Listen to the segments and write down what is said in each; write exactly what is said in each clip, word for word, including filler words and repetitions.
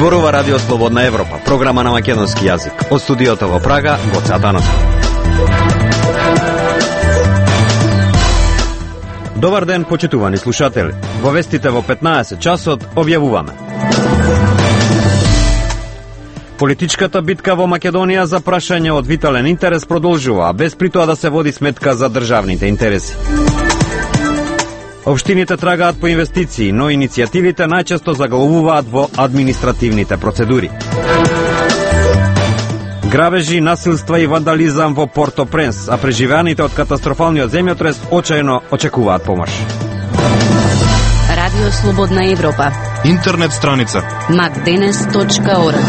Зборува Радио Слободна Европа, програма на македонски јазик. Од студиото во Прага, Гоце Атанасов. Добар ден, почитувани слушатели. Во вестите во петнаесет часот објавуваме. Политичката битка во Македонија за прашање од витален интерес продолжува, без при тоа да се води сметка за државните интереси. Општините трагаат по инвестиции, но иницијативите најчесто заглавуваат во административните процедури. Грабежи, насилства и вандализам во Порто-Пренс, а преживеаните од катастрофалниот земјотрес очајно очекуваат помош. Радио Слободна Европа. Интернет страница макденес точка орг.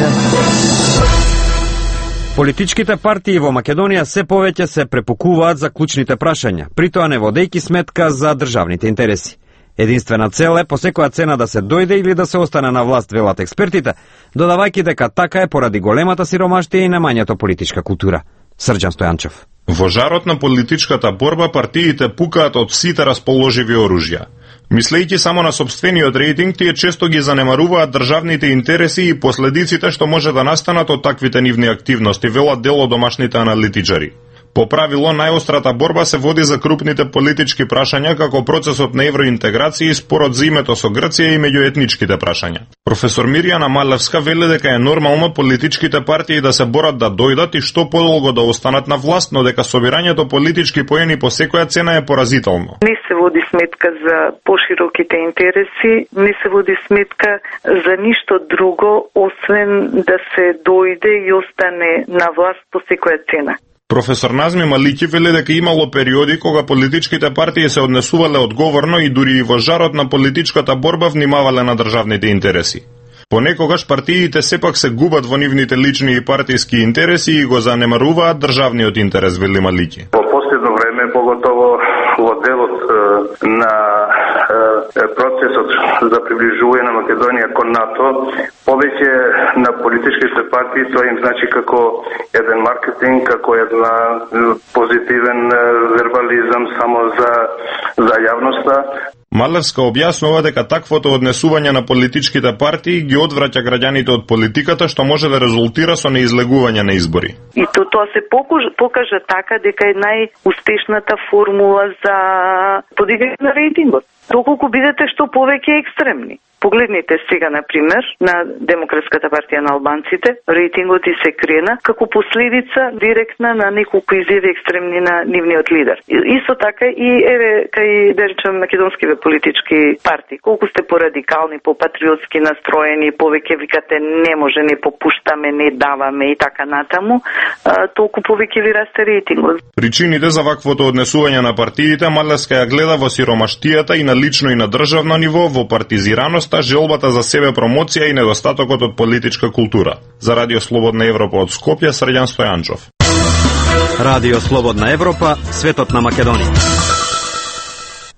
Политичките партии во Македонија се повеќе се препукуваат за клучните прашања, притоа не водејќи сметка за државните интереси. Единствена цел е по секоја цена да се дојде или да се остане на власт, велат експертите, додавајќи дека така е поради големата сиромаштија и немањето политичка култура. Срđan Стојанчев. Во жарот на политичката борба партиите пукаат од сите расположиви оружја. Мислејќи само на сопствениот рейтинг, тие често ги занемаруваат државните интереси и последиците што може да настанат од таквите нивни активности, велат дел од домашните аналитичари. По правило, најострата борба се води за крупните политички прашања како процесот на евроинтеграција и спорот за името со Грција и меѓуетничките прашања. Професор Мирјана Малевска вели дека е нормално политичките партии да се борат да дојдат и што подолго да останат на власт, но дека собирањето политички поени по секоја цена е поразително. Не се води сметка за пошироките интереси, не се води сметка за ништо друго, освен да се дојде и остане на власт по секоја цена. Професор Назми Малики вели дека имало периоди кога политичките партии се однесувале одговорно и дури и во жарот на политичката борба внимавале на државните интереси. Понекогаш партиите сепак се губат во нивните лични и партиски интереси и го занемаруваат државниот интерес, вели Малики. Во последно време, поготово во делот на процесот за приближување на Македонија кон НАТО, повеќе на политичките партии тоа им значи како еден маркетинг, како една позитивен вербализам само за за јавноста. Малевска објаснува дека таквото однесување на политичките партии ги одвраќа граѓаните од политиката, што може да резултира со неизлегување на избори. И то тоа се покажа, покажа така дека е најуспешната формула за подигање на рейтингот. Доколку бидете што повеќе екстремни. Погледнете сега, например, на Демократската партија на албанците, рейтингот и се крена како последица директна на неколку изјави екстремни на нивниот лидер. Исто така и еве кај да речем македонскиве политички партии, колку сте порадикални, попатриотски настроени, повеќе викате не може, не попуштаме, не даваме и така натаму, толку повеќе ви расте рейтингот. Причините за ваквото однесување на партиите Малевска ја гледа во сиромаштијата и на лично и на државно ниво, во партизираност, желбата за себе промоција и недостатокот од политичка култура. За Радио Слободна Европа од Скопје, Срđan Стојанчев. Радио Слободна Европа, светот на Македонија.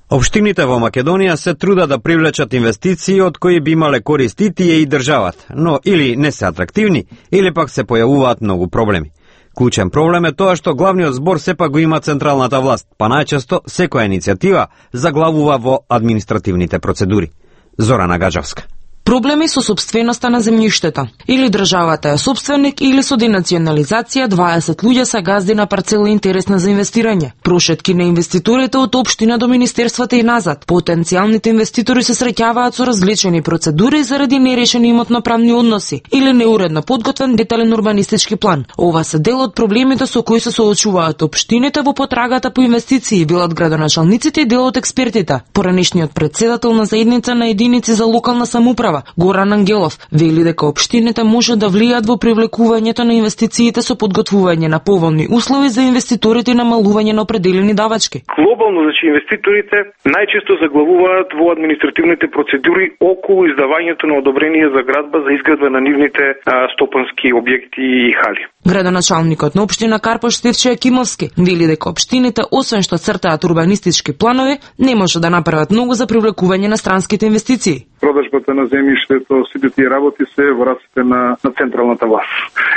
Општините во Македонија се трудат да привлечат инвестиции од кои би имале корист и тие и државата, но или не се атрактивни, или пак се појавуваат многу проблеми. Клучен проблем е тоа што главниот збор сепак го има централната власт, па најчесто секоја иницијатива заглавува во административните процедури. Зорана Гаджевска. Проблеми со сопственоста на земјиштето. Или државата е сопственик, или со денационализација дваесет луѓе се газди на парцела интересна за инвестирање. Прошетки на инвеститорите од општина до министерствата и назад. Потенцијалните инвеститори се среќаваат со различени процедури заради нерешени имотно-правни односи или неуредно подготвен детален урбанистички план. Ова се дел од проблемите со кои се соочуваат општините во потрагата по инвестиции, велат градоначалниците и дел од експертите. Поранешниот председател на заедница на единици за локална самоуправа Горан Ангелов вели дека општините може да влијат во привлекувањето на инвестициите со подготвување на поволни услови за инвеститорите и намалување на определени давачки. Глобално, значи, инвеститорите најчесто заглавуваат во административните процедури околу издавањето на одобрение за градба за изградба на нивните а, стопански објекти и хали. Градоначалникот на општина Карпош Стефче Акимовски вели дека општините, освен што цртаат урбанистички планови, не може да направат многу за привлекување на странските инвестиции. продажбата на земјиштето, сите тие работи се во рацете на, на централната власт.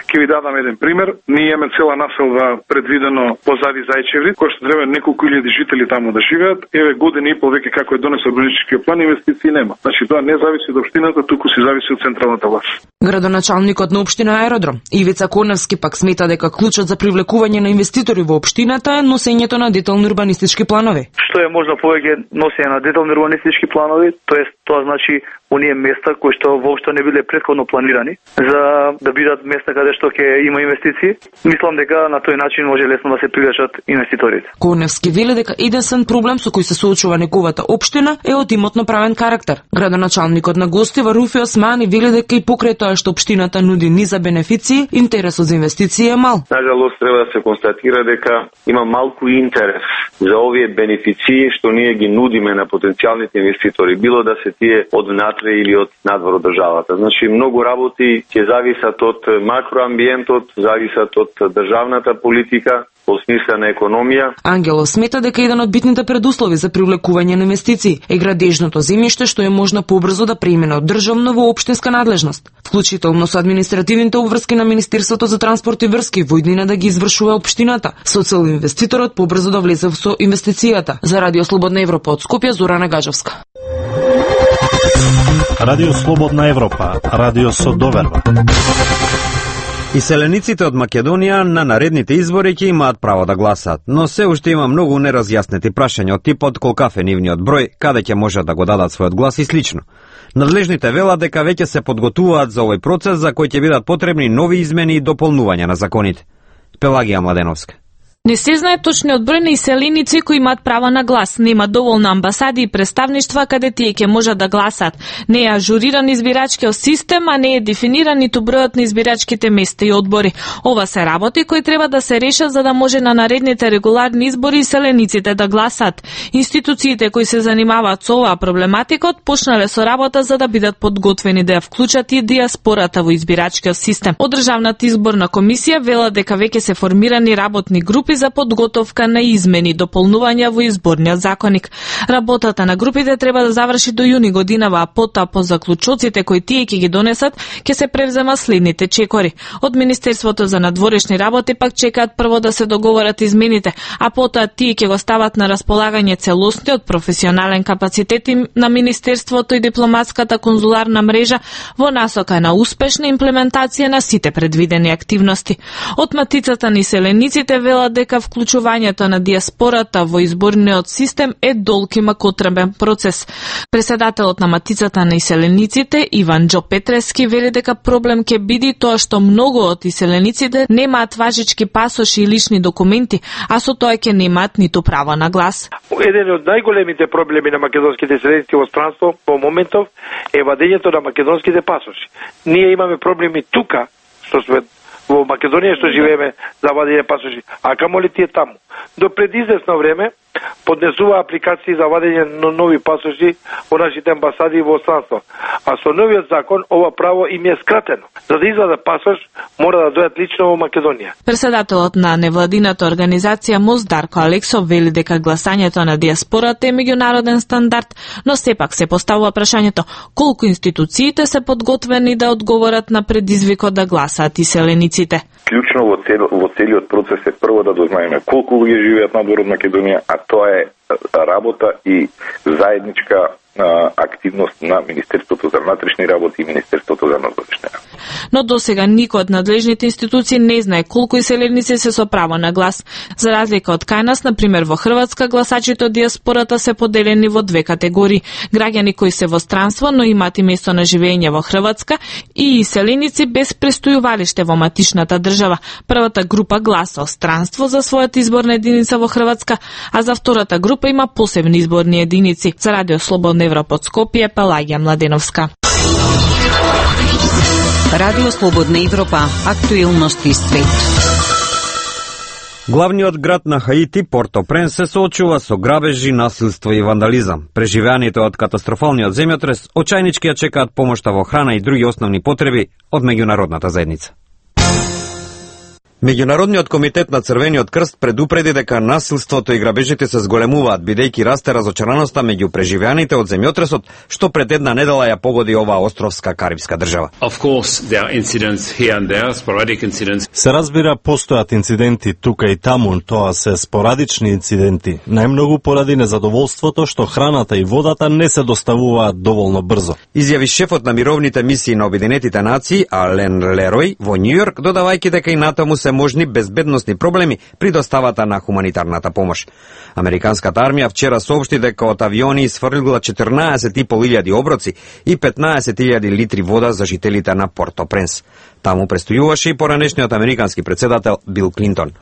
Ќе ви дадам еден пример. Ние имаме цела населба предвидено позади Зајчеври, кој што треба неколку илјади жители таму да живеат. Еве година и пол веќе како е донесен урбанистичкиот план, инвестиции нема. Значи тоа не зависи од општината, туку се зависи од централната власт. Градоначалникот на општина Аеродром Ивица Коневски пак смета дека клучот за привлекување на инвеститори во општината е носењето на детални урбанистички планови. Што е можно повеќе носење на детални урбанистички планови, тоест тоа значи оние места кои што воопшто не биле претходно планирани за да бидат места каде што ќе има инвестиции. Мислам дека на тој начин може лесно да се привлечат инвеститорите. Коневски вели дека единствен проблем со кој се соочува неговата општина е од имотно-правен карактер. Градоначалникот на Гостива Руфи Османи вели дека и покрај тоа што општината нуди низа бенефиции, интересот за инвестиции е мал. Нажалост треба да се констатира дека има малку интерес за овие бенефиции што ние ги нудиме на потенцијалните инвеститори, било да се тие од внатре или од надвор од државата. Значи многу работи ќе зависат од макроамбиентот, зависат од државната политика во смисла на економија. Ангелов смета дека еден од битните предуслови за привлекување на инвестиции е градежното земјиште што е можно побрзо да премине од државно во општинска надлежност, вклучително со административните обврски на Министерството за транспорт и врски во иднина да ги извршува општината, со цел инвеститорот побрзо да влезе со инвестицијата. За Радио Слободна Европа од Скопје, Зорана Гажевска. Радио Слободна Европа, радио со доверба. Иселениците од Македонија на наредните избори ќе имаат право да гласаат, но се уште има многу неразјаснети прашања од типот колкав е нивниот број, каде ќе можат да го дадат својот глас и слично. Надлежните велат дека веќе се подготвуваат за овој процес за кој ќе бидат потребни нови измени и дополнувања на законите. Пелагија Младеновска. Не се знае точниот број на иселеници кои имаат право на глас. Нема доволно амбасади и представништва каде тие ќе можат да гласат. Не е ажуриран избирачкиот систем, а не е дефиниран ниту бројот на избирачките места и одбори. Ова се работи кои треба да се решат за да може на наредните регуларни избори иселениците да гласат. Институциите кои се занимаваат со оваа проблематикот почнале со работа за да бидат подготвени да ја вклучат и диаспората во избирачкиот систем. Од Државната изборна комисија вела дека веќе се формирани работни групи за подготовка на измени и дополнувања во изборниот законник. Работата на групите треба да заврши до јуни годинава, а потоа по заклучоците кои тие ќе ги донесат, ќе се превзема следните чекори. Од Министерството за надворешни работи пак чекаат прво да се договорат измените, а потоа тие ќе го стават на располагање целосниот професионален капацитет на Министерството и дипломатската конзуларна мрежа во насока на успешна имплементација на сите предвидени активности. Од Матицата на иселениците велат дека вклучувањето на диаспората во изборниот систем е долг и макотребен процес. Председателот на Матицата на иселениците Иван Џо Петрески вели дека проблем ќе биде тоа што многу од иселениците немаат важички пасоши и лични документи, а со тоа ќе немаат ниту право на глас. Еден од најголемите проблеми на македонските иселеници во странство во моментов е вадењето на македонските пасоши. Ние имаме проблеми тука, што сме во Македонија што живееме за вадење пасоши, а камоли тие таму. До пред известно време поднесува апликации за вадење на нови пасоши во нашите амбасади во странство. А со новиот закон ова право им е скратено. За да извадат пасош, мора да дојдат лично во Македонија. Председателот на невладината организација МОС Дарко Алексов вели дека гласањето на диаспората е меѓународен стандард, но сепак се поставува прашањето колку институциите се подготвени да одговорат на предизвикот да гласаат иселениците. Клучно во, цел, во целиот процес е прво да дознаеме колку луѓе живеат надвор од Македонија, а тоа е работа и заедничка активност на Министерството за внатрешни работи и Министерството за надворешни работи. Но досега никој од надлежните институции не знае колку иселеници се со право на глас. За разлика од кај нас, например во Хрватска, гласачите од диаспората се поделени во две категории: граѓани кои се во странство, но имаат и место на живење во Хрватска, и иселеници без престојувалиште во матичната држава. Првата група гласа о странство за својата изборна единица во Хрватска, а за втората група има посебни изборни единици. За Радио Слободна Европа од Скопје, Пелагија Младеновска. Радио Слободна Европа, актуелности свет. Главниот град на Хаити, Порто-Пренс, се соочува со грабежи, насилство и вандализам. Преживеаните од катастрофалниот земјотрес очајнички ја чекаат помошта во храна и други основни потреби од меѓународната заедница. Меѓународниот комитет на Црвениот крст предупреди дека насилството и грабежите се зголемуваат, бидејќи расте разочараноста меѓу преживеаните од земјотресот, што пред една недела ја погоди оваа островска карибска држава. Се разбира, постојат инциденти тука и таму, тоа се спорадични инциденти, најмногу поради незадоволството што храната и водата не се доставуваат доволно брзо. Изјави шефот на мировните мисии на Обединетите нации, Ален Лерој, во Њујорк, додавајќи дека и натаму се можни безбедносни проблеми при доставата на хуманитарната помош. Американската армија вчера соопшти дека од авиони изфрлила четрнаесет и пол илјади оброци и петнаесет илјади литри вода за жителите на Порто-Пренс. Таму престојуваше и поранешниот американски председател Бил Клинтон.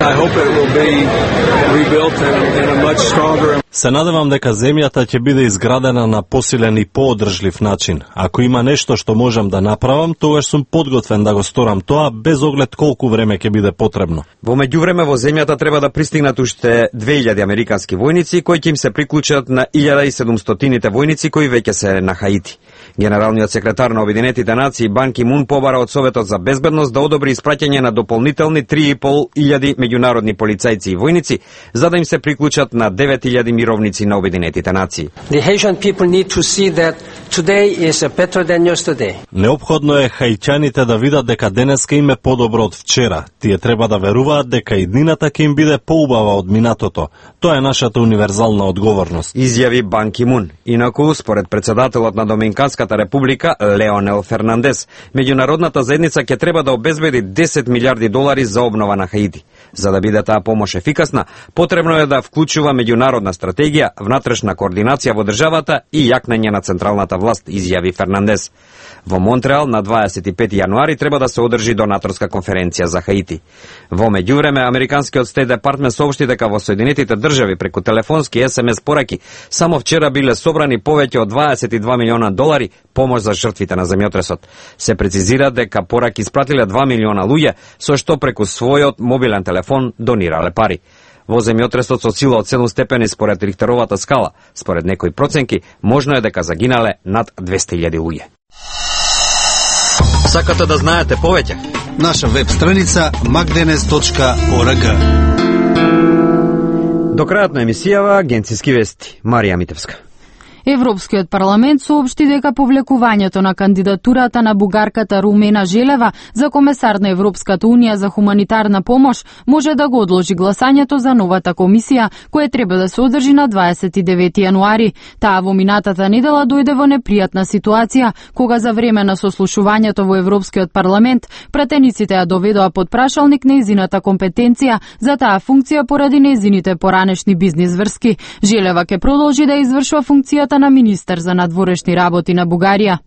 Се надевам дека земјата ќе биде изградена на посилен и поодржлив начин. Ако има нешто што можам да направам, тогаш сум подготвен да го сторам тоа, без оглед колку време ќе биде потребно. Во меѓувреме во земјата треба да пристигнат уште две илјади американски војници кои ќе им се приклучат на илјада и седумстотините војници кои веќе се на Хаити. Генералниот секретар на Обединетите нации Бан Ки Мун побара од Советот за безбедност да одобри испраќање на дополнителни три и пол илјади меѓународни полицајци и војници за да им се приклучат на девет илјади мировници на Обединетите нации. Неопходно е хајчаните да видат дека денеска им е подобро од вчера. Тие треба да веруваат дека и днината ќе им биде поубава од минатото. Тоа е нашата универзална одговорност. Изјави Бан Ки Мун. Инаку, според председателот на Доминиканската република Леонел Фернандес, меѓународната заедница ќе треба да обезбеди десет милиарди долари за обнова на Хаити. За да биде таа помош ефикасна, потребно е да вклучува меѓународна стратегија, внатрешна координација во државата и јакнење на централната власт, изјави Фернандес. Во Монтреал на дваесет и пети јануари треба да се одржи донаторска конференција за Хаити. Во меѓувреме, американскиот Стейт департмент соопшти дека во Соединетите држави преку телефонски ес ем ес пораки само вчера биле собрани повеќе од дваесет и два милиона долари помош за жртвите на земјотресот. Се прецизира дека пораки испратиле два милиона луѓе, со што преку својот мобилен телефон донирале пари. Во земјотресот со сила од седум степени според Рихтеровата скала, според некои проценки, можно е дека загинале над двесте илјади луѓе. Сакате да знаете повеќе? Наша веб страница макденес точка орг. До крајот на емисијава агенциски вести. Марија Митевска. Европскиот парламент соопшти дека повлекувањето на кандидатурата на бугарката Румена Желева за комесар на Европската унија за хуманитарна помош може да го одложи гласањето за новата комисија, која треба да се одржи на дваесет и девети јануари. Таа во минатата недела дојде во непријатна ситуација, кога за време на сослушувањето во Европскиот парламент пратениците ја доведоа под прашалник нејзината компетенција за таа функција поради нејзините поранешни бизнис врски. Желева ќе продолжи да извршува функцијата на министер за надворешни работи на Бугарија.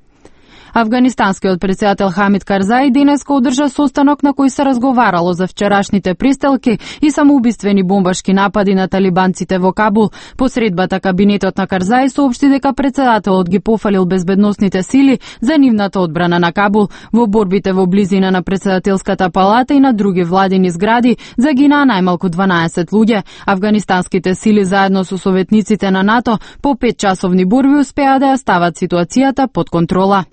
Афганистанскиот председател Хамид Карзаи денеска одржа состанок на кој се разговарало за вчерашните пристелки и самоубиствени бомбашки напади на талибанците во Кабул. Посредбата кабинетот на Карзаи соопшти дека председателот ги пофалил безбедносните сили за нивната одбрана на Кабул. Во борбите во близина на председателската палата и на други владини згради загинаа најмалку дванаесет луѓе. Афганистанските сили заедно со советниците на НАТО по петчасовни борби успеа да ја стават ситуацијата под контрола.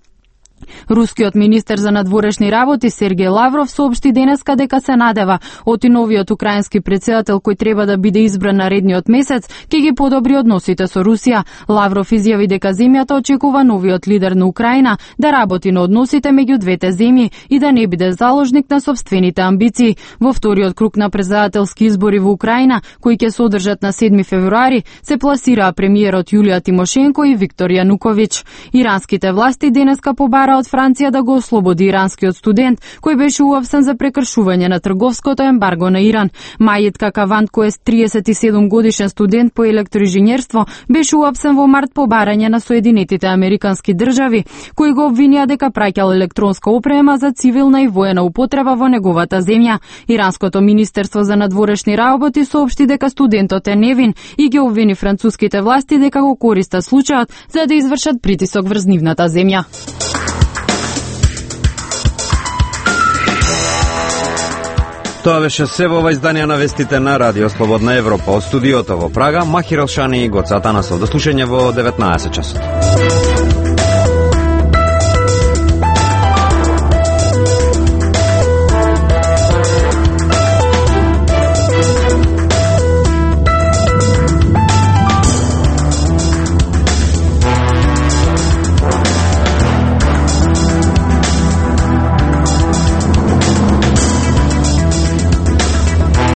Рускиот министер за надворешни работи Сергеј Лавров соопшти денеска дека се надева оти новиот украински претседател кој треба да биде избран наредниот месец ќе ги подобри односите со Русија. Лавров изјави дека земјата очекува новиот лидер на Украина да работи на односите меѓу двете земји и да не биде заложник на сопствените амбиции. Во вториот круг на претседателски избори во Украина, кои ќе се одржат на седми февруари, се пласираа премиерот Јулија Тимошенко и Виктор Јануковиќ. Иранските власти денеска побара од Франција да го ослободи иранскиот студент кој беше уапсен за прекршување на трговското ембарго на Иран. Мајид Какавант, кој е триесет и седум годишен студент по електроинженерство, беше уапсен во март по барање на Соединетите американски држави, кои го обвинија дека праќал електронска опрема за цивилна и воена употреба во неговата земја. Иранското министерство за надворешни работи соопшти дека студентот е невин и ги обвини француските власти дека го користат случајот за да извршат притисок врз нивната земја. Тоа беше се во ова издание на вестите на Радио Слободна Европа. Од студиото во Прага, Махир Алшани и Гоца Атанасов. До слушање во деветнаесет часот.